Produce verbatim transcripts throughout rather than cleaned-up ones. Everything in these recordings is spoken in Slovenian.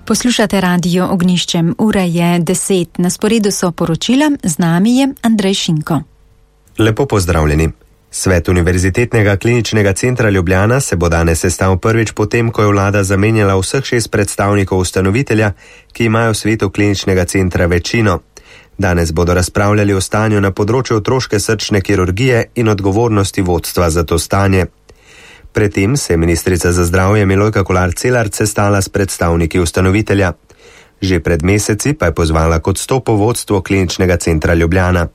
Poslušate radio Ognjiščem, ura je deset, na sporedu so poročila, z nami je Andrej Šinko. Lepo pozdravljeni. Svet Univerzitetnega kliničnega centra Ljubljana se bo danes sestal prvič potem, ko je vlada zamenjala vseh šest predstavnikov ustanovitelja, ki imajo v svetu kliničnega centra večino. Danes bodo razpravljali o stanju na področju otroške srčne kirurgije in odgovornosti vodstva za to stanje. Predtem se je ministrica za zdravje Milojka Kolar Celarc sestala s predstavniki ustanovitelja. Že pred meseci pa je pozvala k odstopu vodstvo kliničnega centra Ljubljana.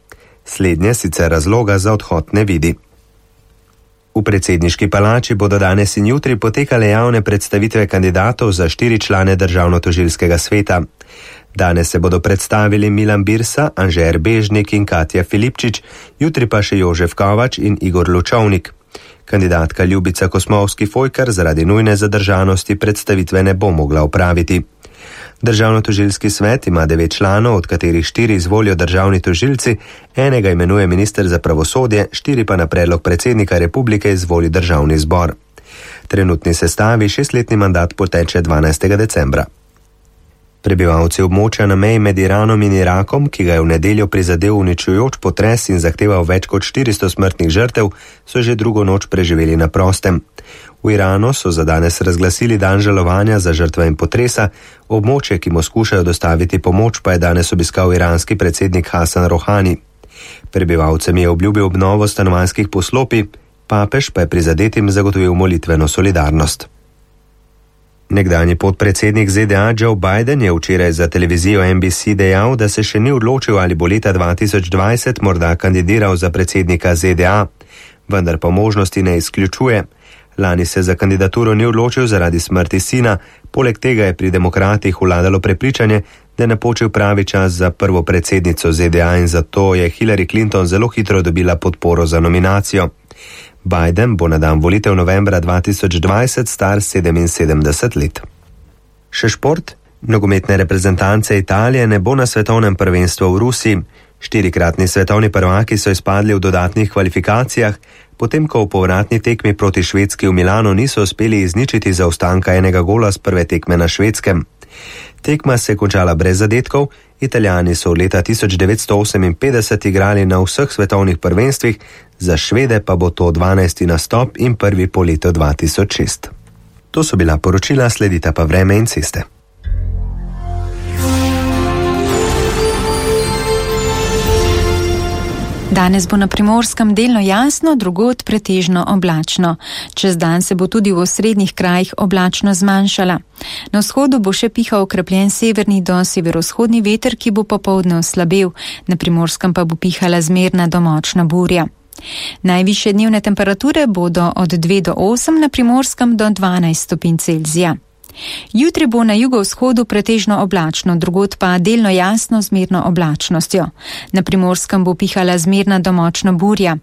Slednje sicer razloga za odhod ne vidi. V predsedniški palači bodo danes in jutri potekale javne predstavitve kandidatov za štiri člane državno-tožilskega sveta. Danes se bodo predstavili Milan Birsa, Anže Erbežnik in Katja Filipčič, jutri pa še Jožef Kovač in Igor Lučovnik. Kandidatka Ljubica Kosmovski-Fojkar zaradi nujne zadržanosti predstavitve ne bo mogla opraviti. Državno-tožilski svet ima devet članov, od katerih štiri izvolijo državni tožilci, enega imenuje minister za pravosodje, štiri pa na predlog predsednika republike izvoli državni zbor. Trenutni sestavi šestletni mandat poteče dvanajstega decembra. Prebivalci območja na meji med Iranom in Irakom, ki ga je v nedeljo prizadel uničujoč potres in zahteval več kot štiristo smrtnih žrtev, so že drugo noč preživeli na prostem. V Iranu so za danes razglasili dan žalovanja za žrtve in potresa, območje, ki mu skušajo dostaviti pomoč, pa je danes obiskal iranski predsednik Hasan Rohani. Prebivalcem je obljubil obnovo stanovanjskih poslopij, papež pa je prizadetim zagotovil molitveno solidarnost. Nekdanji podpredsednik Z D A Joe Biden je včeraj za televizijo N B C dejal, da se še ni odločil, ali bo leta dva tisoč dvajset morda kandidiral za predsednika Z D A, vendar pa možnosti ne izključuje. Lani se za kandidaturo ni odločil zaradi smrti sina, poleg tega je pri demokratih vladalo prepričanje, da je napočil pravi čas za prvo predsednico Z D A in zato je Hillary Clinton zelo hitro dobila podporo za nominacijo. Biden bo na dan volitev novembra dva tisoč dvajset star sedeminsedemdeset let. Še šport. Nogometne reprezentance Italije ne bo na svetovnem prvenstvu v Rusiji. Štirikratni svetovni prvaki so izpadli v dodatnih kvalifikacijah, potem ko v povratni tekmi proti Švedski v Milanu niso uspeli izničiti zaostanka enega gola z prve tekme na Švedskem. Tekma se je končala brez zadetkov, Italijani so od leta tisoč devetsto oseminpetdeset igrali na vseh svetovnih prvenstvih, za Švede pa bo to dvanajsti nastop in prvi po letu dva tisoč šest. To so bila poročila, sledita pa vreme in ceste. Danes bo na Primorskem delno jasno, drugod pretežno oblačno. Čez dan se bo tudi v osrednjih krajih oblačno zmanjšala. Na vzhodu bo še pihal okrepljen severni do severovzhodni veter, ki bo popoldne oslabel, na Primorskem pa bo pihala zmerna do močna burja. Najvišje dnevne temperature bodo od dve do osem, na Primorskem do dvanajst stopinj Celzija. Jutri bo na jugovzhodu pretežno oblačno, drugod pa delno jasno zmerno oblačnostjo. Na Primorskem bo pihala zmerna do močna burja.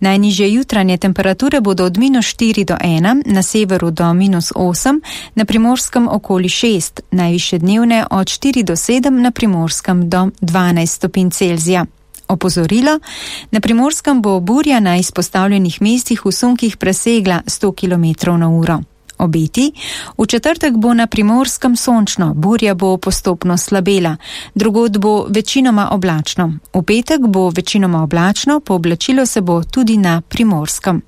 Najnižje jutranje temperature bodo od minus štiri do ena, na severu do minus osem, na Primorskem okoli šest, najvišje dnevne od štiri do sedem, na Primorskem do dvanajst stopinj Celzija. Opozorilo, na Primorskem bo burja na izpostavljenih mestih v sunkih presegla sto kilometrov na uro. Obeti. V četrtek bo na Primorskem sončno, burja bo postopno slabela, drugod bo večinoma oblačno. V petek bo večinoma oblačno, pooblačilo se bo tudi na Primorskem.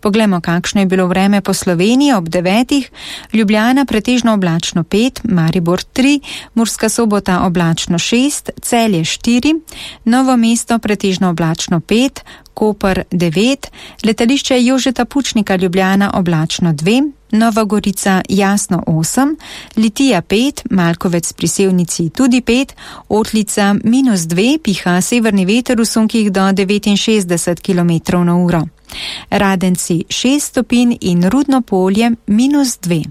Poglejmo, kakšno je bilo vreme po Sloveniji ob devetih. Ljubljana pretežno oblačno pet, Maribor tri, Murska Sobota oblačno šest, Celje štiri, Novo mesto pretežno oblačno pet, Koper devet, letališče Jožeta Pučnika Ljubljana oblačno dve, Nova Gorica jasno osem, Litija pet, Malkovec pri Sevnici tudi pet, Otlica minus dve, piha severni veter v sunkih do devetinšestdeset kilometrov na uro. Radenci šest stopinj in Rudno Polje minus dve.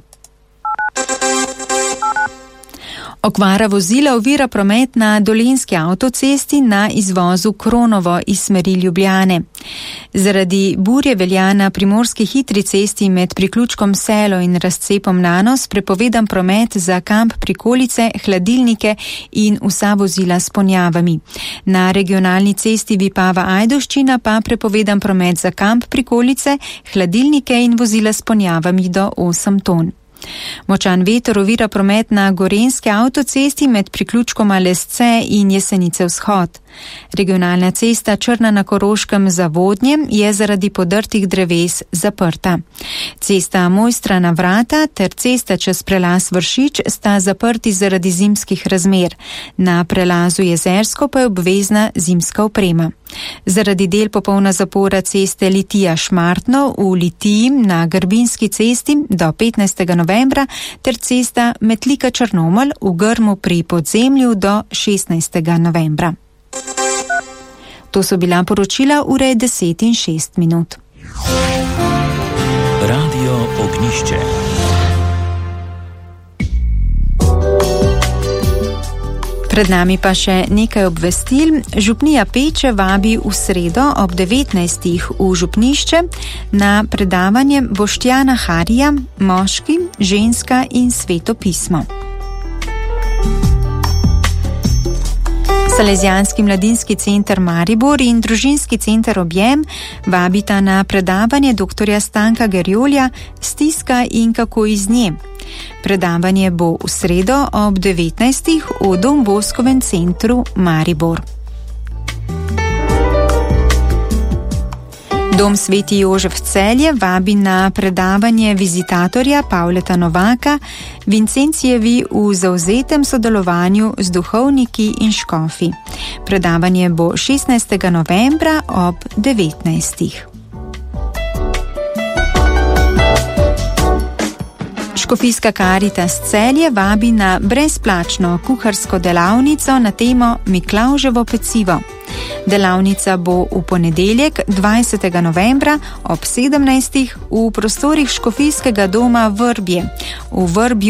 Okvara vozila ovira promet na Dolenjski avtocesti na izvozu Kronovo iz smeri Ljubljane. Zaradi burje velja na primorski hitri cesti med priključkom Selo in razcepom Nanos prepovedan promet za kamp Prikolice, hladilnike in vsa vozila s ponjavami. Na regionalni cesti Vipava-Ajdovščina pa prepovedan promet za kamp Prikolice, hladilnike in vozila s ponjavami do osem ton. Močan veter ovira promet na gorenjski avtocesti med priključkoma Lesce in Jesenice vzhod. Regionalna cesta Črna na Koroškem za Vodnje je zaradi podrtih dreves zaprta. Cesta Mojstra na Vrata ter cesta čez prelaz Vršič sta zaprti zaradi zimskih razmer. Na prelazu Jezersko pa je obvezna zimska oprema. Zaradi del popolna zapora ceste Litija-Šmartno v Litiji na Grbinski cesti do petnajstega novembra ter cesta Metlika-Črnomelj v Grmu pri Podzemlju do šestnajstega novembra. To so bila poročila ure deset in šest minut. Radio Ognišče. Pred nami pa še nekaj obvestil. Župnija Peče vabi v sredo ob devetnajstih v župnišče na predavanje Boštjana Harija Moški, ženska in sveto pismo. Salezijanski mladinski center Maribor in družinski center Objem vabita na predavanje doktorja Stanka Gerjolja Stiska in kako iz nje. Predavanje bo v sredo ob devetnajstih v Don Boskovem centru Maribor. Dom Sveti Jožef Celje vabi na predavanje vizitatorja Pavleta Novaka Vincencijevi v zavzetem sodelovanju z duhovniki in škofi. Predavanje bo šestnajstega novembra ob devetnajstih. Škofijska Karitas Celje vabi na brezplačno kuharsko delavnico na temo Miklavževo pecivo. Delavnica bo v ponedeljek dvajsetega novembra ob sedemnajstih v prostorih Škofijskega doma Vrbje v Vrbju